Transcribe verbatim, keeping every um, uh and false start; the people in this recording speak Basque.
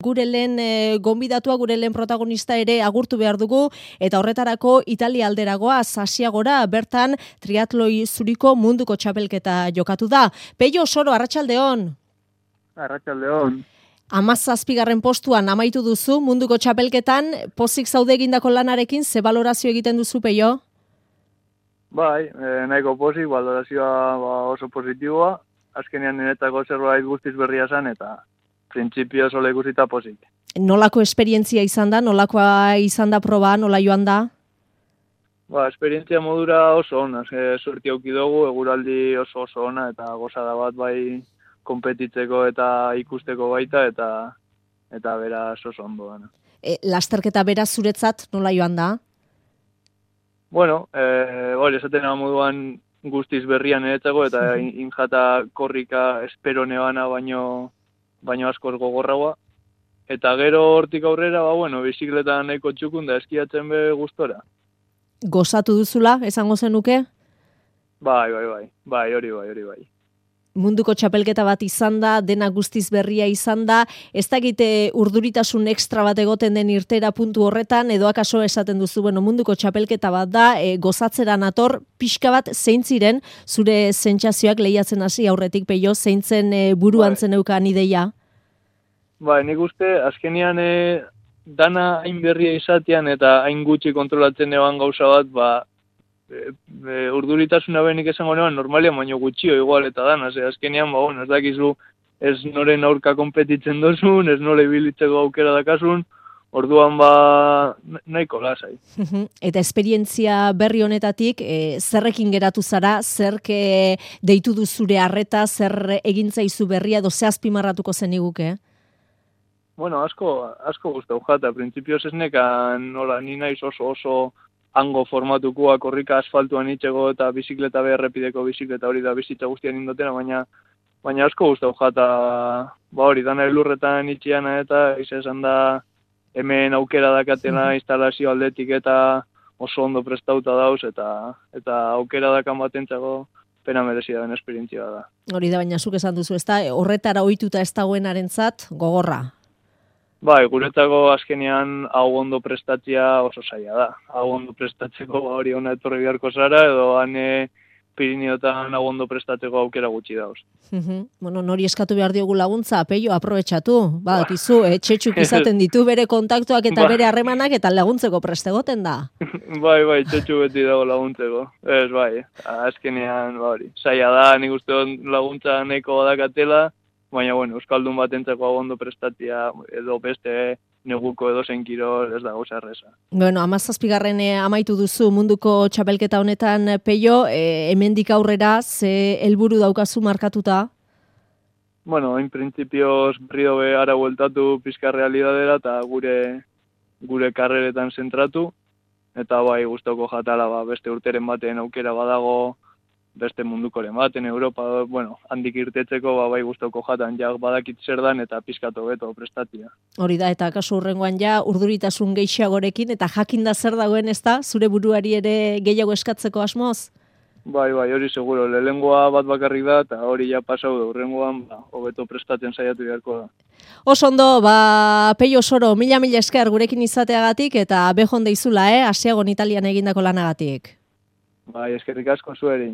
Gure lehen e, gonbidatua, gure lehen protagonista ere agurtu behar dugu, eta horretarako Italia alderagoa, Asiagora, bertan triatloi zuriko munduko txapelketa jokatu da. Peio Soro, arratsaldeon. Arratsaldeon. Hamazazpigarren postuan amaitu duzu munduko txapelketan, pozik zaude egindako lanarekin, ze balorazio egiten duzu, Peio? Bai, eh, nahiko pozik, balorazioa ba, oso positiboa, azkenean niretako zerbait guztiz berria zen, eta printzipio sola ikusita pozik. Nolako esperientzia izan da, nolakoa izan da proba, nola joan da? Ba, esperientzia modura oso ona, ze suerti auki dugu, eguraldi oso oso ona, eta gozada bat bai konpetitzeko eta ikusteko baita, eta eta beraz oso ondo dena. E, lasterketa beraz zuretzat nola joan da? Bueno, eh, hori esaten moduan guztiz berrian niretzako, eta injata korrika espero nebana baino baino askoz gogorragoa. Eta gero hortik aurrera, ba, bueno, bizikletan nahiko txukun da eskiatzen be gustora. Gozatu duzula, esango zenuke? Bai, bai, bai, bai, hori bai, hori bai. Munduko txapelketa bat izan da, dena guztiz berria izan da, ez dakite urduritasun ekstra bat egoten den irtera puntu horretan, edo akaso esaten duzu, bueno, munduko txapelketa bat da, e, gozatzera nator, pixka bat zein ziren, zure sentsazioak lehiatzen hasi aurretik, Peio, zeintzen e, buruan bai. Zeneukan ideia? Bai, nik uste, azkenian e, dana hain berria izatean eta hain gutxi kontrolatzen eban gauza bat, ba, e, e, urduritasuna benik esango neban normalian, baino gutxio igual eta dana, ze azkenian, ba, bueno, ez dakizu, ez noren aurka konpetitzen dozun, ez nore bilitzeko aukera dakasun, orduan ba nahiko lasai. Eta esperientzia berri honetatik, e, zerrekin geratu zara, zerk e, deitu du zure harreta, zer egintzaizu berria, edo ze azpimarratuko zeniguke? Bueno, asko, asko guztau jata, printzipioz ez nekan, nola, ni naiz oso oso hango formatukoa, korrika asfaltuan itxego eta bizikleta beharrepideko bizikleta hori da bizitza guztian indotena, baina baina asko guztau jata, ba hori, dana elurretan itxiana eta izan da hemen aukera dakatela instalazio aldetik eta oso ondo prestauta dauz eta eta aukera dakan batentzako pena merezia den esperientzia da. Hori da, baina zuk esan duzu, ez da, horretara ohituta ez dagoenarentzat gogorra. Bai, guretako azkenean hau ondo prestatzea oso zaila da. Hau ondo prestatzeko hori ona etorri beharko zara, edo hane Pirineotan hau ondo prestatzeko aukera gutxi dauz. Bueno, nori eskatu behar diogu laguntza, Peio, aprobetxatu. Ba, kizu, etxetxuk izaten ditu bere kontaktuak eta bere harremanak eta laguntzeko prestegoten da. Bai, bai, txetxu beti dago laguntzeko. Ez, bai, azkenean, ba hori. Zaila da, nik uste laguntza nahiko badakatela, baina, bueno, euskaldun batentzako hau ondo prestatzea, edo beste neguko edo zen kirol ez da gauza erreza. Bueno, hamazazpigarren amaitu duzu munduko txapelketa honetan, Peio, e, hemendik aurrera, ze helburu daukazu markatuta? Bueno, en printzipioz berriro be ara bueltatu pizka realidadera eta gure gure karreretan zentratu, eta bai gustoko jatala ba, beste urteren baten aukera badago, beste mundukoren baten, Europa, bueno, handik irtetzeko, ba, bai gustoko jatan, ja badakit zer dan eta pizkatu beto prestatia. Hori da, eta kasu hurrengoan ja, urduritasun gehiagorekin, eta jakinda zer dagoen ez da, zure buruari ere gehiago eskatzeko asmoz? Bai, bai, hori seguro, lehengoa bat bakarrik da, eta hori ja pasau da, hurrengoan, ba, hobeto prestatzen saiatu beharko da. Oso ondo, ba, Peio Soro, mila mila esker gurekin izateagatik, eta bejon deizula, eh, Asiagon Italian egindako lanagatik. Bai, eskerrik asko zueri.